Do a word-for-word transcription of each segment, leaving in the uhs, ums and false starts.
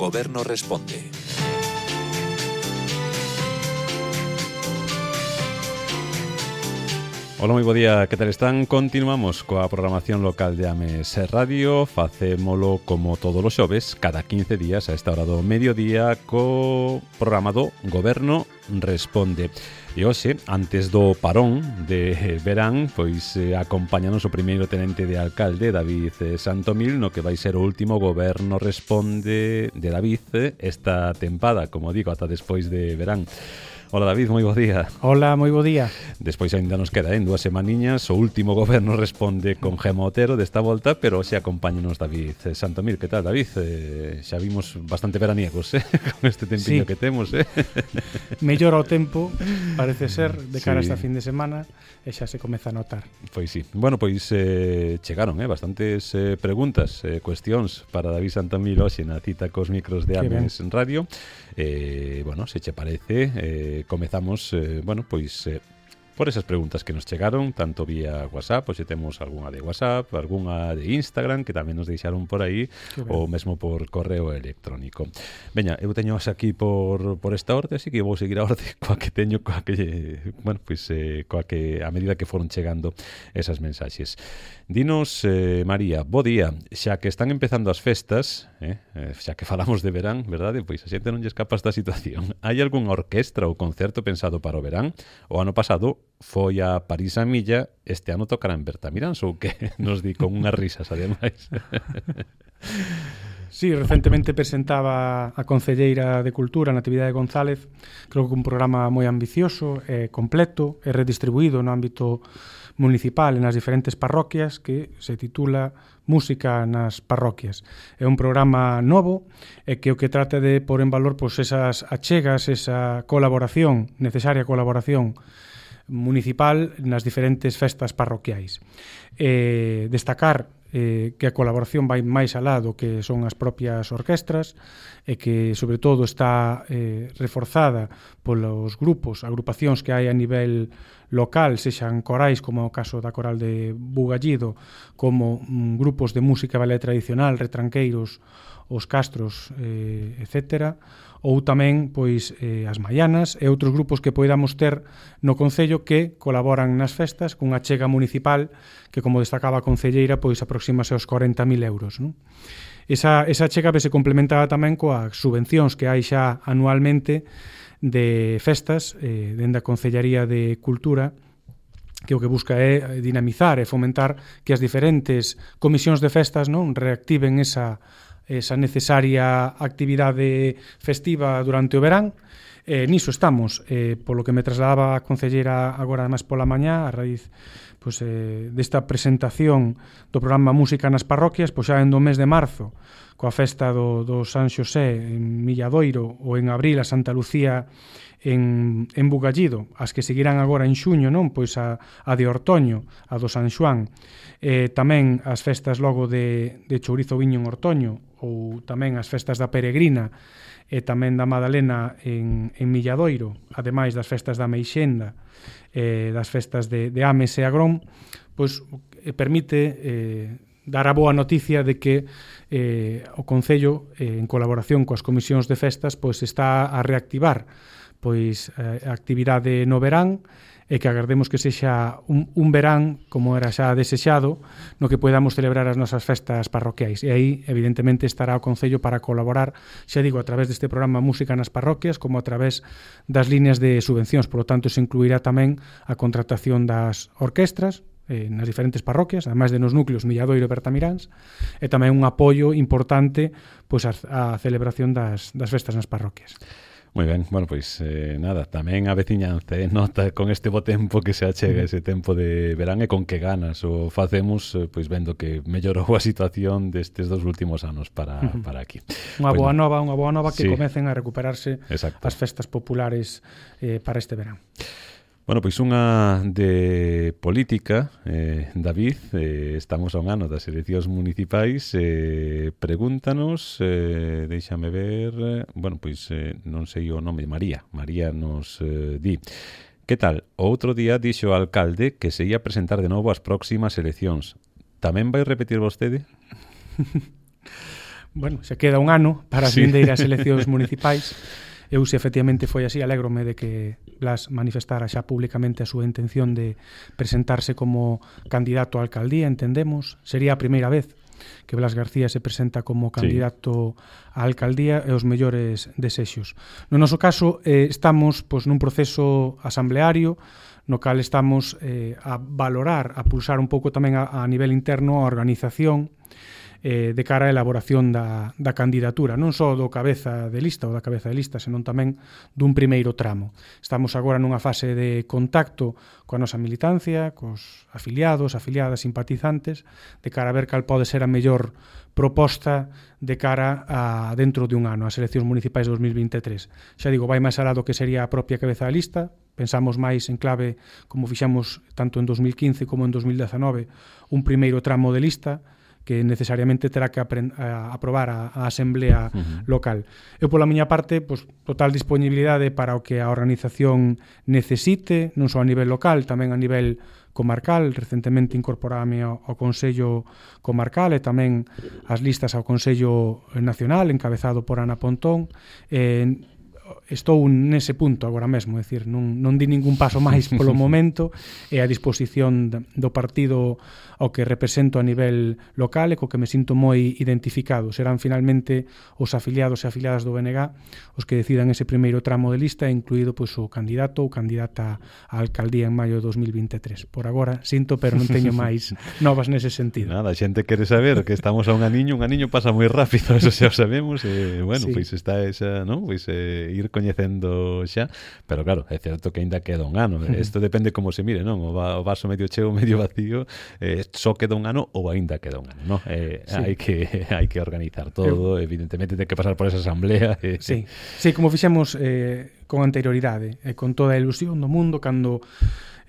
Goberno Responde. Ola, moi bo día, que tal están? Continuamos coa programación local de Ames Radio. Facémolo como todos os xoves, cada quince días a esta hora do mediodía, co programa do Goberno Responde. E hoxe, antes do parón de verán, pois eh, acompáñanos o primeiro tenente de alcalde, David eh, Santomil, no que vai ser o último Goberno Responde de David eh, esta tempada, como digo, ata despois de verán. Hola David, moi bo día. Hola, moi bo día. Despois ainda nos queda en dúas semaniñas o último Goberno Responde con Gema Otero desta volta, pero hoxe acompáñanos David Santomil. Que tal, David? Eh, xa vimos bastante veraniegos, eh? Con este tempiño sí. que temos, eh? Mellora o tempo, parece ser, de cara sí. a esta fin de semana, e xa se comeza a notar. Pois sí. Bueno, pois eh, chegaron eh, bastantes eh, preguntas, eh, cuestións para David Santomil hoxe na cita cos micros de Ames Radio. Eh, bueno, se che parece, eh, comezamos, eh, bueno, pois eh, por esas preguntas que nos chegaron, tanto vía WhatsApp, pois se temos algunha de WhatsApp, algunha de Instagram, que tamén nos deixaron por aí, ou mesmo por correo electrónico. Veña, eu teño aquí por, por esta orde, así que vou seguir a orde coa que teño, coa que, bueno, pois, eh, coa que, a medida que foron chegando esas mensaxes. Dinos, eh, María, bo día, xa que están empezando as festas, eh, xa que falamos de verán, verdade? Pois a xente non lle escapa esta situación. Hai algunha orquestra ou concerto pensado para o verán? O ano pasado foi a París a Milla, este ano tocará en Bertamiráns, ou que nos di con unhas risas, ademais. Sí, recentemente presentaba a Concelleira de Cultura, Natividade González, creo que un programa moi ambicioso, eh, completo e redistribuído no ámbito municipal e nas diferentes parroquias, que se titula Música nas Parroquias. É un programa novo e que o que trata de pôr en valor pois, esas achegas, esa colaboración, necesaria colaboración municipal nas diferentes festas parroquiais. Eh, destacar eh, que a colaboración vai máis alá do que son as propias orquestras e que, sobre todo, está eh, reforzada polos grupos, agrupacións que hai a nivel local, sexan corais, como o caso da coral de Bugallido, como mm, grupos de música ballet tradicional, retranqueiros, os castros, eh, etcétera, ou tamén pois eh, as maianas e outros grupos que poidamos ter no concello que colaboran nas festas cunha chega municipal que, como destacaba a concelleira, pois aproximase aos corenta mil euros, non? Esa, esa chega se complementada tamén coas subvencións que hai xa anualmente de festas eh, dende a Concellaría de Cultura, que o que busca é dinamizar e fomentar que as diferentes comisións de festas non reactiven esa esa necesaria actividade festiva durante o verán. Eh, niso estamos, eh, polo que me trasladaba a concelleira agora máis pola mañá, a raíz pois, eh, desta presentación do programa Música nas Parroquias, pois xa en do mes de marzo, coa festa do, do San Xosé en Milladoiro, ou en abril a Santa Lucía en, en Bugallido, as que seguirán agora en xuño, non? Pois a, a de Ortoño, a do San Xoán, eh, tamén as festas logo de, de Chourizo Viño en Ortoño, ou tamén as festas da Peregrina e tamén da Madalena en, en Milladoiro, ademais das festas da Meixenda, eh, das festas de, de Ames e Agrón, pois eh, permite eh, dar a boa noticia de que eh, o Concello, eh, en colaboración coas comisións de festas, pois está a reactivar pois eh, a actividade no verán, e que agardemos que sexa un, un verán, como era xa desexado, no que podamos celebrar as nosas festas parroquiais. E aí, evidentemente, estará o Concello para colaborar, xa digo, a través deste programa Música nas Parroquias, como a través das líneas de subvencións. Por lo tanto, se incluirá tamén a contratación das orquestras eh, nas diferentes parroquias, ademais de nos núcleos Milladoiro e Bertamiráns, e tamén un apoio importante pois, a, a celebración das, das festas nas parroquias. Moi ben, bueno, pois eh, nada, tamén a veciñanza eh, nota con este bo tempo que se achega ese tempo de verán e con que ganas o facemos, eh, pois vendo que mellorou a situación destes dos últimos anos para, para aquí. Unha pois, boa nova, unha boa nova que sí. comecen a recuperarse Exacto. as festas populares eh, para este verán. Bueno, pois unha de política, eh, David, eh, estamos a un ano das eleccións municipais, eh, pregúntanos, eh, déixame ver, eh, bueno, pois eh, non sei o nome, María, María nos eh, di, que tal, o outro día dixo o alcalde que se ia presentar de novo as próximas eleccións, tamén vai repetir vostede? bueno, se queda un ano para as sí. vindeiras eleccións municipais. Eu, se efectivamente foi así, alégrome de que Blas manifestara xa públicamente a súa intención de presentarse como candidato á alcaldía, entendemos. Sería a primeira vez que Blas García se presenta como candidato sí. á alcaldía e os mellores desexos. No noso caso, eh, estamos pois, nun proceso asambleario no cal estamos eh, a valorar, a pulsar un pouco tamén a, a nivel interno a organización eh, de cara á elaboración da, da candidatura, non só do cabeza de lista ou da cabeza de lista, senón tamén dun primeiro tramo. Estamos agora nunha fase de contacto coa nosa militancia, cos afiliados, afiliadas, simpatizantes, de cara a ver cal pode ser a mellor proposta de cara a dentro de un ano, as eleccións municipais de dos mil vinte e tres. Xa digo, vai máis alá do que sería a propia cabeza de lista, pensamos máis en clave, como fixamos tanto en dos mil quince como en dos mil dezanove, un primeiro tramo de lista, que necesariamente terá que a aprobar a, a Asamblea uh-huh. local. Eu, pola miña parte, pues, total disponibilidade para o que a organización necesite, non só a nivel local, tamén a nivel comarcal. Recentemente incorporame ao, ao Consello Comarcal e tamén as listas ao Consello Nacional, encabezado por Ana Pontón. Eh, estou nese punto agora mesmo, é dicir, non, non di ningún paso máis polo momento, e a disposición do partido ao que represento a nivel local e co que me sinto moi identificado. Serán finalmente os afiliados e afiliadas do B N G os que decidan ese primeiro tramo de lista, incluído pois, o candidato ou candidata á alcaldía en maio de dos mil vinte e tres. Por agora, sinto, pero non teño máis novas nese sentido. Nada, a xente quere saber que estamos a un aniño, un aniño pasa moi rápido, eso xa o sabemos, e, bueno, sí. pois está esa, non? Pois eh, ir coñecendo xa, pero claro, é certo que ainda queda un ano. Isto depende como se mire, non? O, va, o vaso medio cheo, medio vacío, eh, só queda un ano ou aínda queda un ano, non? Eh, sí. hai que hai que organizar todo, Eu... evidentemente ten que pasar por esa asamblea. Eh. Sí. sí, como fixemos eh, con anterioridade, e eh, con toda a ilusión do mundo, cando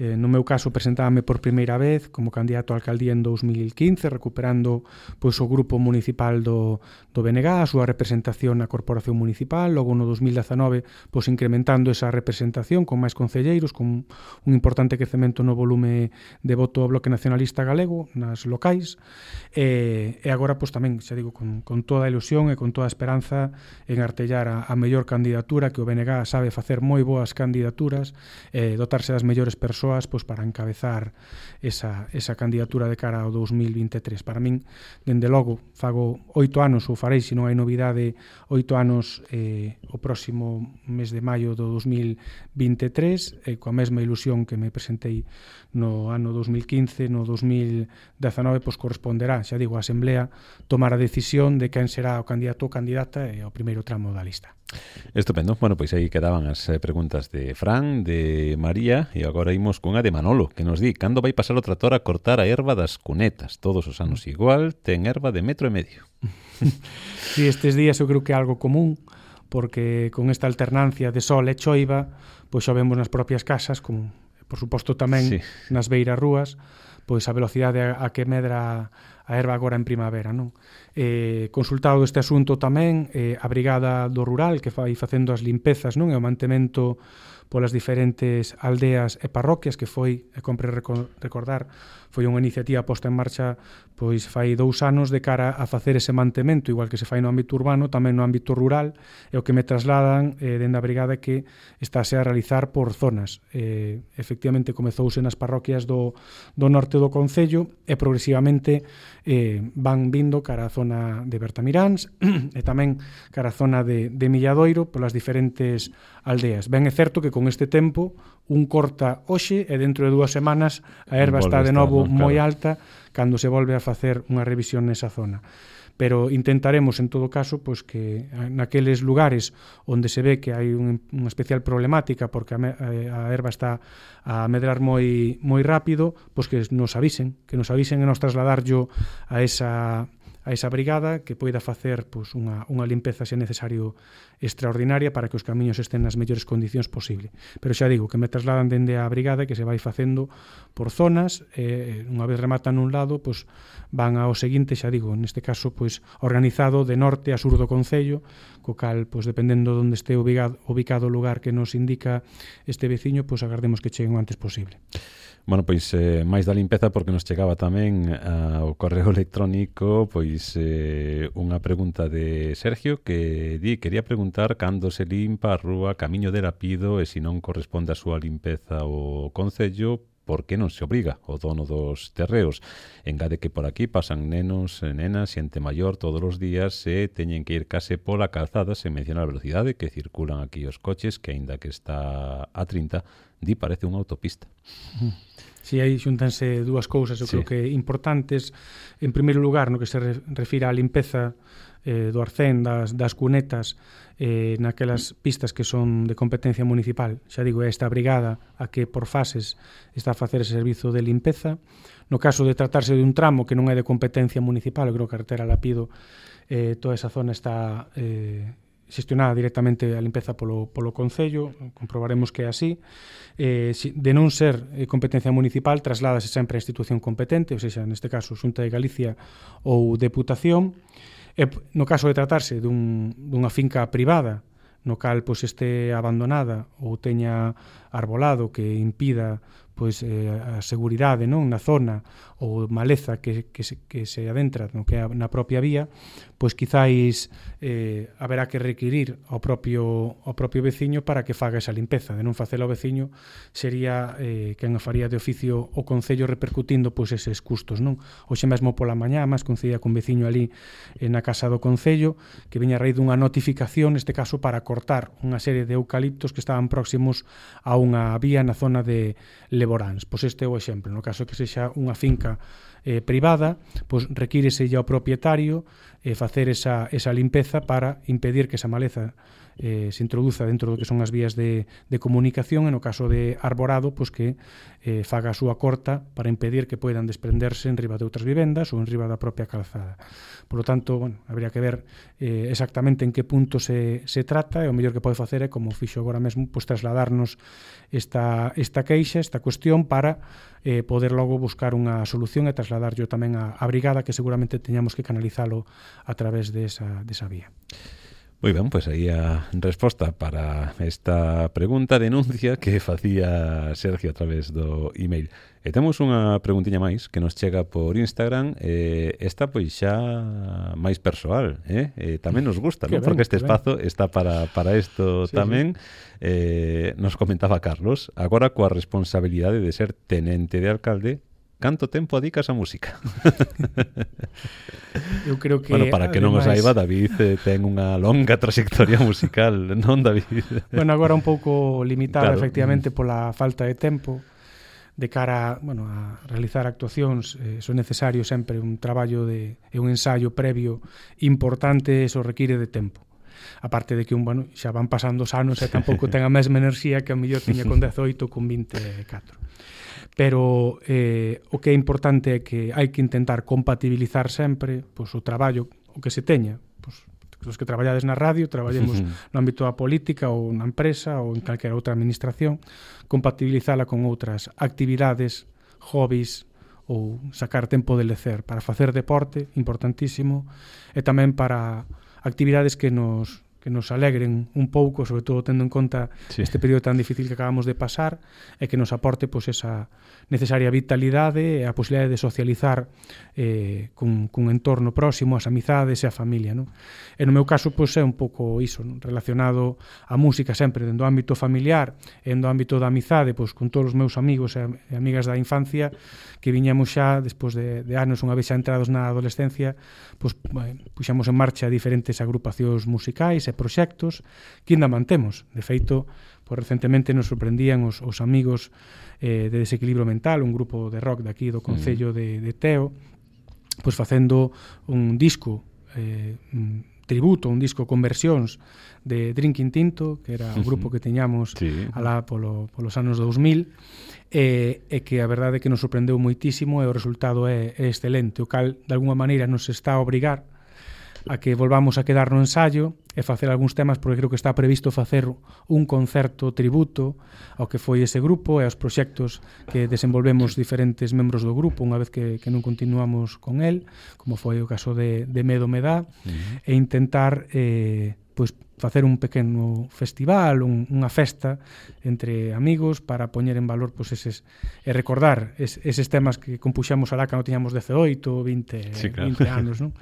Eh, no meu caso presentábame por primeira vez como candidato a alcaldía en dos mil quince, recuperando pois, o grupo municipal do, do B N G, a súa representación na corporación municipal. Logo no dos mil dezanove pois, incrementando esa representación con máis concelleiros, con un importante crecemento no volume de voto ao Bloque Nacionalista Galego nas locais, e, e agora pois, tamén, xa digo, con, con toda a ilusión e con toda a esperanza en artellar a, a mellor candidatura, que o B N G sabe facer moi boas candidaturas, eh, dotarse das mellores persoas pois, para encabezar esa, esa candidatura de cara ao dos mil vinte e tres. Para min, dende logo, fago oito anos, ou farei, se non hai novidade, oito anos eh, o próximo mes de maio do dos mil vinte e tres, e coa mesma ilusión que me presentei no ano dos mil quince, no dos mil dezanove, pois corresponderá, xa digo, a Asamblea tomar a decisión de quen será o candidato ou candidata e o primeiro tramo da lista. Estupendo. Bueno, pois aí quedaban as preguntas de Fran, de María, e agora imos cunha de Manolo, que nos di: cando vai pasar o tractor a cortar a erva das cunetas? Todos os anos igual, ten erva de metro e medio. Si, estes días eu creo que é algo común, porque con esta alternancia de sol e choiva, pois xa vemos nas propias casas, como por suposto tamén sí. nas beiras rúas, pois a velocidade a que medra a erva agora en primavera, non? Eh, consultado este asunto tamén, eh, a Brigada do Rural, que fai facendo as limpezas, non? E o mantemento polas diferentes aldeas e parroquias, que foi, e compre recordar, foi unha iniciativa posta en marcha pois fai dous anos de cara a facer ese mantemento, igual que se fai no ámbito urbano, tamén no ámbito rural, e o que me trasladan eh, dende a Brigada que estáse a realizar por zonas. Eh, efectivamente, comezouse nas parroquias do, do norte do concello e progresivamente eh, van vindo cara a zona de Bertamiráns e tamén cara a zona de, de Milladoiro polas diferentes aldeas. Ben é certo que con este tempo un corta hoxe e dentro de dúas semanas a erva está de novo moi alta cando se volve a facer unha revisión nesa zona. Pero intentaremos, en todo caso, pois que naqueles lugares onde se ve que hai un, unha especial problemática porque a, a erva está a medrar moi moi rápido, pois que nos avisen, que nos avisen e nos trasladarllo a esa a esa brigada que poida facer pois, unha, unha limpeza, se necesario, extraordinaria para que os camiños estén nas mellores condicións posible. Pero xa digo, que me trasladan dende a brigada que se vai facendo por zonas, e unha vez rematan un lado, pois, van ao seguinte, xa digo, neste caso, pois, organizado de norte a sur do concello, co cal, pois, dependendo de onde este ubicado, ubicado o lugar que nos indica este veciño, pois, agardemos que cheguen o antes posible. Bueno, pois eh, máis da limpeza, porque nos chegaba tamén ao correo electrónico pois eh, unha pregunta de Sergio que di, quería preguntar cando se limpa a rúa Camiño de Lapido e se non corresponde a súa limpeza o Concello, por que non se obriga o dono dos terreos. Engade que por aquí pasan nenos, nenas, xente maior todos os días e teñen que ir case pola calzada, sen mencionar a velocidade que circulan aquí os coches, que aínda que está a trinta, di parece unha autopista. Si, aí xuntanse dúas cousas, eu sí. creo que importantes. En primeiro lugar, no que se refira á limpeza eh, do arcén, das, das cunetas, eh, naquelas pistas que son de competencia municipal. Xa digo, é esta brigada a que por fases está a facer ese servizo de limpeza. No caso de tratarse de un tramo que non é de competencia municipal, eu creo que a carretera Lapido, eh, toda esa zona está eh, xestionada directamente a limpeza polo, polo Concello, comprobaremos que é así. Eh, de non ser eh, competencia municipal, trasládase sempre a institución competente, ou seja, neste caso, Xunta de Galicia ou Deputación. E, no caso de tratarse dun, dunha finca privada, no cal pois, este abandonada ou teña arbolado que impida pois eh, a seguridade non na zona ou maleza que, que, se, que se adentra no que é na propia vía, pois quizáis eh, haberá que requirir ao propio, ao propio veciño para que faga esa limpeza. De non facelo ao veciño sería eh, quen a faría de oficio o Concello repercutindo pois eses custos, non? Hoxe mesmo pola mañá, máis coincidía con veciño ali eh, na casa do Concello, que viña a raíz dunha notificación, neste caso para cortar unha serie de eucaliptos que estaban próximos a unha vía na zona de Leboráns. Pois este é o exemplo. No caso que sexa unha finca eh, privada, pois requírese ao propietario eh, facer esa, esa limpeza para impedir que esa maleza eh, se introduza dentro do que son as vías de, de comunicación, e no caso de arborado, pois que eh, faga a súa corta para impedir que poidan desprenderse en riba de outras vivendas ou en riba da propia calzada. Por lo tanto, bueno, habría que ver eh, exactamente en que punto se, se trata, e o mellor que pode facer é, como fixo agora mesmo, pois trasladarnos esta, esta queixa, esta cuestión, para eh, poder logo buscar unha solución e trasladarlo tamén a, a brigada, que seguramente teñamos que canalizalo a través desa, desa vía. Moi ben, pois aí a resposta para esta pregunta, denuncia que facía Sergio a través do email. E temos unha preguntiña máis que nos chega por Instagram, eh, esta pois xa máis persoal, eh? eh tamén nos gusta, ¿no? Porque este espazo está para, para isto sí, tamén. Sí. Eh, nos comentaba Carlos, agora coa responsabilidade de ser tenente de alcalde, canto tempo adicas a música? Eu creo que... Bueno, para que non o saiba, David eh, ten unha longa trayectoria musical, non, David? Bueno, agora un pouco limitada, claro, efectivamente, pola falta de tempo de cara, bueno, a realizar actuacións. Eh, son necesario sempre un traballo de, e un ensayo previo importante, eso require de tempo. Aparte de que un, bueno, xa van pasando os anos e tampouco ten a mesma enerxía que a mellor tiña con dezoito, con vinte e catro. Pero eh, o que é importante é que hai que intentar compatibilizar sempre pois, o traballo, o que se teña. Pois, os que traballades na radio, traballemos no ámbito da política ou na empresa ou en calquera outra administración, compatibilizala con outras actividades, hobbies ou sacar tempo de lecer para facer deporte, importantísimo, e tamén para actividades que nos que nos alegren un pouco, sobre todo tendo en conta sí. este período tan difícil que acabamos de pasar, e que nos aporte pois, esa necesaria vitalidade e a posibilidade de socializar eh, cun, cun entorno próximo, as amizades e a familia. Non? E no meu caso pois, é un pouco iso, non? Relacionado a música sempre dentro do ámbito familiar e no ámbito da amizade, pois, con todos os meus amigos e amigas da infancia, que viñamos xa, despois de, de anos, unha vez xa entrados na adolescencia, pois, puxamos en marcha diferentes agrupacións musicais e proxectos que ainda mantemos. De feito, pois, recentemente nos sorprendían os, os amigos eh, de Desequilibrio Mental, un grupo de rock de aquí do Concello mm. de, de Teo, pois facendo un disco eh, un tributo, un disco con versións de Drinking Tinto, que era o grupo que teñamos sí. alá polo, polos anos dous mil, e, e que a verdade é que nos sorprendeu moitísimo e o resultado é, é excelente, o cal de alguma maneira nos está a obrigar a que volvamos a quedar no ensayo e facer algúns temas, porque creo que está previsto facer un concerto tributo ao que foi ese grupo e aos proxectos que desenvolvemos diferentes membros do grupo unha vez que, que non continuamos con el, como foi o caso de, de Medo Me Dá, uh-huh. e intentar eh, pois facer un pequeno festival, un, unha festa entre amigos para poñer en valor pois eses e recordar es, eses temas que compuxamos alá cando tiñamos dezaoito, vinte, sí, claro. vinte anos, non?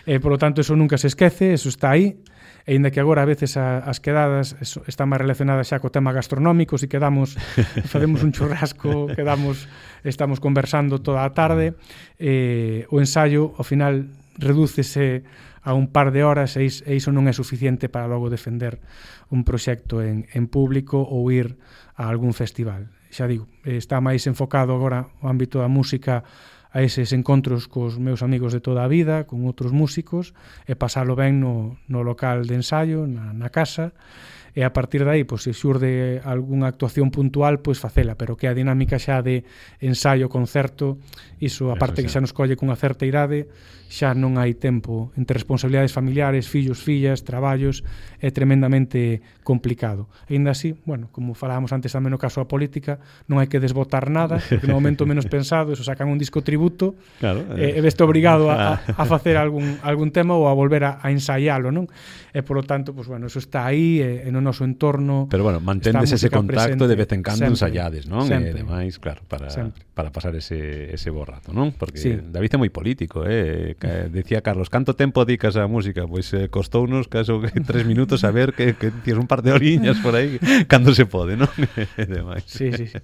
E polo tanto eso nunca se esquece, eso está aí. E ainda que agora a veces a, as quedadas eso, están máis relacionadas xa co tema gastronómico, si quedamos, facemos un churrasco, quedamos, estamos conversando toda a tarde, eh, o ensaio ao final redúcese a un par de horas e iso non é suficiente para logo defender un proxecto en, en público ou ir a algún festival. Xa digo, está máis enfocado agora o ámbito da música a eses encontros cos meus amigos de toda a vida, con outros músicos, e pasalo ben no, no local de ensaio, na, na casa, e a partir de aí, pois, se xurde algunha actuación puntual, pois facela, pero que a dinámica xa de ensaio-concerto, iso, a parte que xa nos colle cunha certa idade, xa non hai tempo entre responsabilidades familiares, fillos, fillas, traballos, é tremendamente complicado. E ainda así, bueno, como falábamos antes tamén no caso da política, non hai que desbotar nada, porque no momento menos pensado, eso sacan un disco tributo, claro, eh, e veste obrigado a, a facer algún, algún tema ou a volver a, a ensaialo, non? E, polo tanto, pues, bueno, eso está aí, e, e no noso entorno... Pero, bueno, mantendes ese contacto presente, de vez en cando sempre, ensaiades, non? Sempre, e demais, claro, para, para pasar ese, ese bo rato, non? Porque sí. David é moi político, eh? Decía Carlos, canto tempo dedicas á música? Pois eh, costounos caso tres minutos a ver que, que tienes un par de oriñas por aí cando se pode, non? E demais. Sí, sí, sí.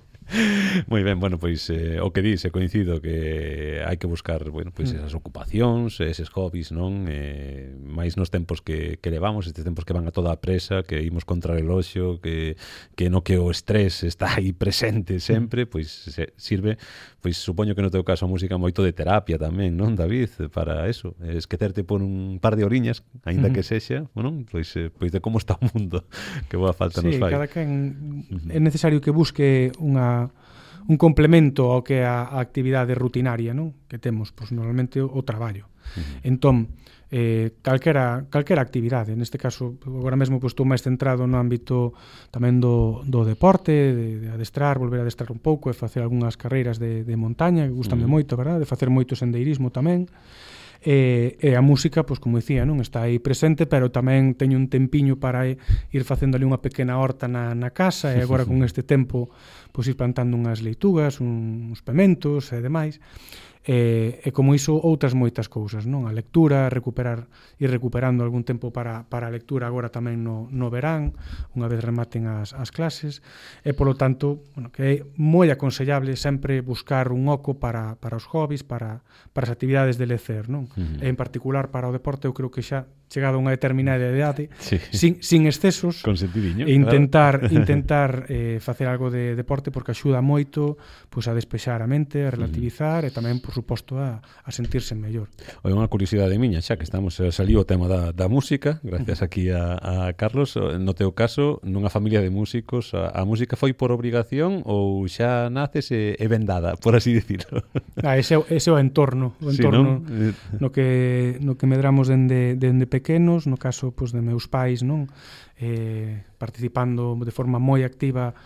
Moi ben, bueno, pois eh, o que dice, coincido que hai que buscar, bueno, pois esas ocupacións, eses hobbies, non? Eh, máis nos tempos que, que levamos, estes tempos que van a toda a presa, que imos contra o reloxo, que, que no que o estrés está aí presente sempre, pois se, sirve, pois supoño que no teu caso a música moito de terapia tamén, non, David? Para eso, esquecerte por un par de oriñas, aínda que sexa, bueno, pois, eh, pois de como está o mundo, que boa falta sí, nos fai. Sí, cada quen é necesario que busque unha un complemento ao que é a, a actividade rutinaria, non? Que temos, pois, normalmente o, o traballo. Uh-huh. Entón, eh, calquera, calquera actividade, neste caso, agora mesmo pois, estou máis centrado no ámbito tamén do, do deporte, de, de adestrar, volver a adestrar un pouco e facer algunhas carreiras de, de montaña, que gustame uh-huh. moito, verdad? De facer moito sendeirismo tamén. E, e a música, pois como dicía, non está aí presente, pero tamén teño un tempiño para ir facendo ali unha pequena horta na, na casa, e agora con este tempo pois ir plantando unhas leitugas, uns pementos e demais. E, e como iso outras moitas cousas, non? A lectura, recuperar ir recuperando algún tempo para, para a lectura agora tamén no, no verán, unha vez rematen as, as clases, e polo tanto, bueno, que é moi aconsellable sempre buscar un oco para, para os hobbies, para, para as actividades de lecer, non? Uh-huh. E en particular para o deporte, eu creo que xa chegado a unha determinada idade, sí. sin, sin excesos, e intentar claro. intentar eh, facer algo de deporte, porque axuda moito pois, a despexar a mente, a relativizar, uh-huh. e tamén, por suposto, a, a sentirse mellor. Oi, unha curiosidade miña, xa que estamos, saliu o tema da, da música, gracias aquí a, a Carlos. No teu caso, nunha familia de músicos, a, a música foi por obrigación ou xa naces e, e vendada, por así dicirlo? Ah, ese, ese é o entorno, o entorno sí, no que no que medramos dende, dende pequenos, no caso pois, de meus pais, non? Eh, participando de forma moi activa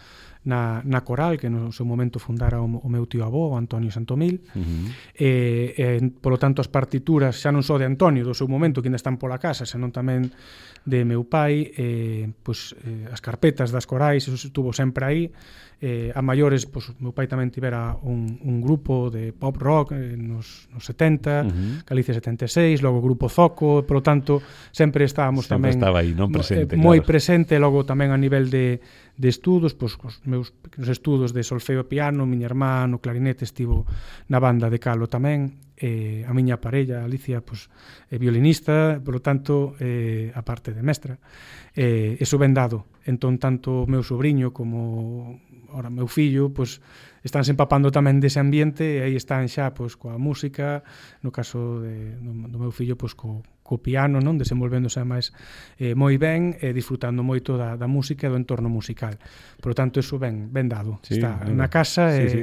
na, na coral, que no seu momento fundara o, o meu tío avó, o Antonio Santomil. Uh-huh. e, e, polo tanto, as partituras xa non só de Antonio, do seu momento, que ainda están pola casa, senón tamén de meu pai, eh, pois, eh, as carpetas das corais, eso estuvo sempre aí. Eh, a maiores, pois, meu pai tamén tivera un, un grupo de pop rock eh, nos, nos setenta, uh-huh. Galicia setenta e seis, logo o grupo Zoco, polo tanto, sempre estábamos sempre tamén estaba aí, non presente, eh, moi claro. presente, logo tamén a nivel de, de estudos, pois, os meus pequenos estudos de solfeo e piano, miña irmá no clarinete estivo na banda de Calo tamén, eh, a miña parella, Alicia, pois, é violinista, polo tanto, eh, a parte de mestra, eh, eso ben dado. Entón, tanto o meu sobrinho como ora meu fillo, pois, están se empapando tamén dese ambiente, e aí están xa, pois, coa música, no caso de, do, do meu fillo, pois, co, co piano, non? Desenvolvéndose máis eh, moi ben, e disfrutando moito da, da música e do entorno musical. Por lo tanto, eso ben, ben dado. Sí, está ben, na casa, sí, e, sí.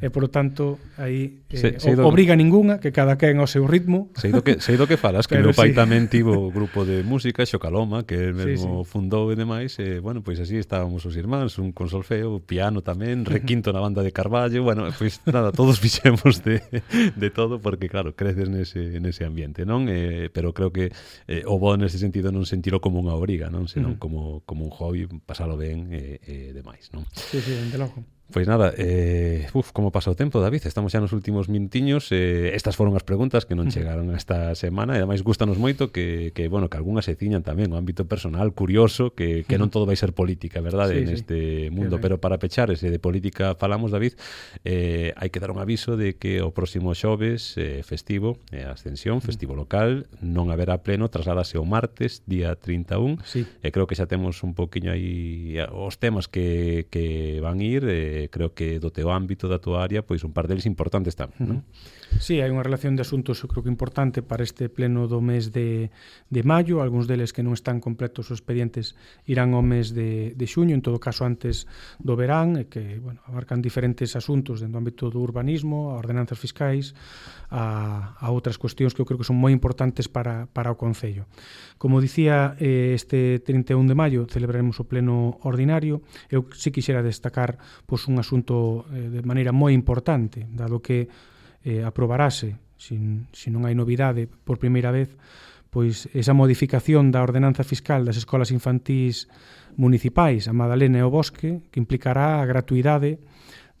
e, por lo tanto, aí eh, se, o, obriga ninguna, que cada quen ao seu ritmo. Sei do que, sei do que falas, que meu pai sí. tamén tivo grupo de música, Xocaloma, que mesmo sí, sí. fundou e demais, e, bueno, pois así estábamos os irmáns, un con solfeo, piano tamén, requinto na banda de Carballo, bueno, pois nada, todos fixemos de, de todo, porque, claro, creces nese, nese ambiente, non? Eh, pero creo creo que eh, o bo neste sentido non sentiro como unha obriga, non? Senón Uh-huh. como, como un hobby, pasalo ben e eh, eh, demais, non? Sí, sí, de logo. Pois nada, eh, uf, como pasa o tempo, David, estamos xa nos últimos minutiños, eh, estas foron as preguntas que non chegaron esta semana, e ademais gustanos moito que, que bueno, que algunhas se ciñan tamén o ámbito personal, curioso, que, que non todo vai ser política, verdade, sí, neste sí. mundo, Sí, pero para pechar ese de política falamos, David, eh, hai que dar un aviso de que o próximo xoves eh, festivo, eh, Ascensión, festivo local, non haberá pleno, trasládase o martes, día trinta e un, Sí. e creo que xa temos un poquinho aí os temas que, que van ir, eh, creo que do teu ámbito, da tua área, pois un par deles importantes tamén, non? Sí, hai unha relación de asuntos, eu creo que importante para este pleno do mes de, de maio, algúns deles que non están completos os expedientes irán ao mes de, de xuño, en todo caso antes do verán, e que, bueno, abarcan diferentes asuntos dentro do ámbito do urbanismo, a ordenanzas fiscais, a, a outras cuestións que eu creo que son moi importantes para, para o Concello. Como dicía, eh, este trinta e un de maio celebraremos o pleno ordinario. Eu sí quixera destacar pois, un asunto eh, de maneira moi importante, dado que eh, aprobarase, sin, sin non hai novidade, por primeira vez, pois esa modificación da ordenanza fiscal das escolas infantís municipais, a Madalena e o Bosque, que implicará a gratuidade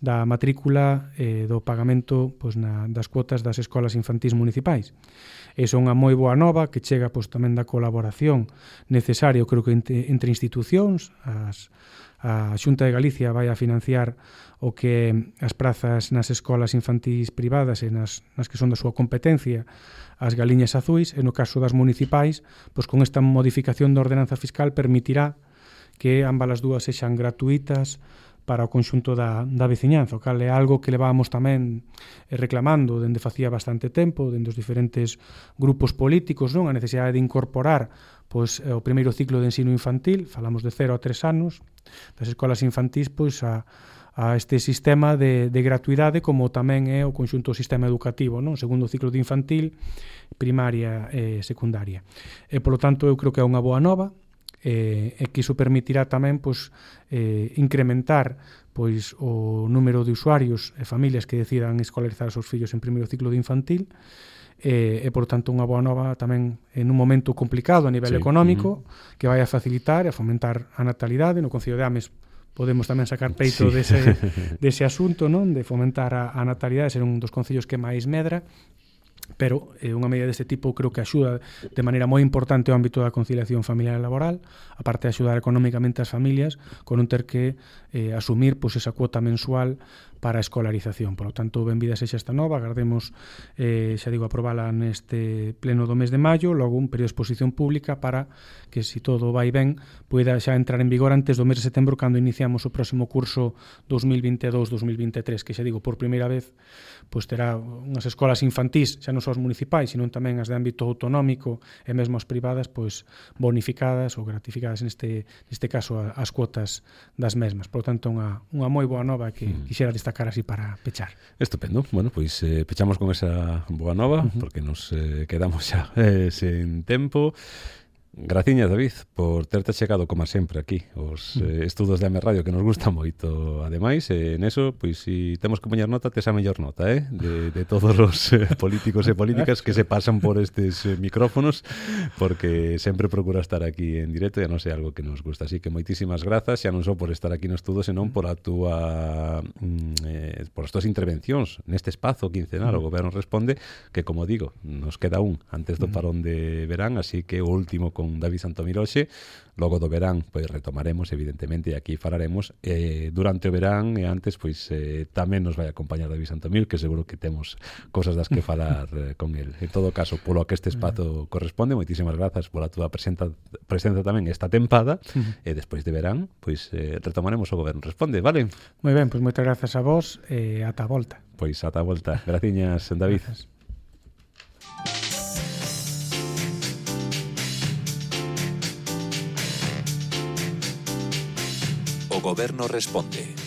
da matrícula e eh, do pagamento pois, na, das cuotas das escolas infantís municipais. Esa é unha moi boa nova que chega pois, tamén da colaboración necesaria, creo que entre, entre institucións. As, a Xunta de Galicia vai a financiar o que as prazas nas escolas infantís privadas e nas, nas que son da súa competencia, as galiñas azuis, e no caso das municipais, pois con esta modificación da ordenanza fiscal permitirá que ambas as dúas sexan gratuitas para o conxunto da, da veciñanza, o cal é algo que levábamos tamén reclamando dende facía bastante tempo, dende os diferentes grupos políticos, non? A necesidade de incorporar pois, o primeiro ciclo de ensino infantil, falamos de cero a tres anos, das escolas infantís, pois a, a este sistema de, de gratuidade, como tamén é o conxunto do sistema educativo, non? O segundo ciclo de infantil, primaria e secundaria. E, polo tanto, eu creo que é unha boa nova, e, e que iso permitirá tamén pois, eh, incrementar pois, o número de usuarios e familias que decidan escolarizar os seus fillos en primeiro ciclo de infantil, e, e por tanto unha boa nova tamén en un momento complicado a nivel sí. económico, uh-huh. que vai a facilitar e a fomentar a natalidade. No Concello de Ames podemos tamén sacar peito sí. dese, dese asunto, non? De fomentar a, a natalidade, ser un dos concellos que máis medra, pero eh, unha medida deste tipo creo que axuda de maneira moi importante o ámbito da conciliación familiar e laboral, aparte de axudar económicamente as familias con non ter que eh, asumir pois, esa cuota mensual para a escolarización. Por lo tanto, benvida sexa esta nova, agardemos, eh, xa digo, aprobala neste pleno do mes de maio, logo un período de exposición pública para que, se si todo vai ben, poida xa entrar en vigor antes do mes de setembro, cando iniciamos o próximo curso dos mil vinte e dous dos mil vinte e tres, que xa digo, por primeira vez, pois terá unhas escolas infantís, xa non só as municipais, sino tamén as de ámbito autonómico e mesmo as privadas, pois bonificadas ou gratificadas neste, neste caso as cuotas das mesmas. Por lo tanto, unha, unha moi boa nova que mm. quixera destacar así para pechar. Estupendo. Bueno, pois eh, pechamos con esa boa nova, uh-huh. porque nos eh, quedamos xa eh, sen tempo. Graciñas, David, por terte chegado, como sempre, aquí os eh, estudos de Ames Radio, que nos gusta moito. Ademais, eh, neso, pois, si temos que poñer nota, tes a mellor nota, eh? De, de todos os eh, políticos e políticas que se pasan por estes eh, micrófonos, porque sempre procura estar aquí en directo, e non sei, algo que nos gusta. Así que moitísimas grazas, xa non só por estar aquí no estudo, senón por a túa mm, eh, por as túas intervencións neste espazo quincenal, o Goberno Responde, que, como digo, nos queda un antes do parón de verán, así que o último con David Santomir hoxe, logo do verán pois retomaremos, evidentemente, e aquí falaremos eh, durante o verán, e antes pois eh, tamén nos vai acompañar David Santomir, que seguro que temos cosas das que falar eh, con el. En todo caso, polo que este espazo corresponde, moitísimas grazas pola túa presenza, presenza tamén esta tempada, e despois de verán pois eh, retomaremos o Goberno Responde, vale? Moi ben, pois moitas grazas a vos e ata a volta. Pois ata a volta. Graciñas, David. Gracias. O Goberno Responde.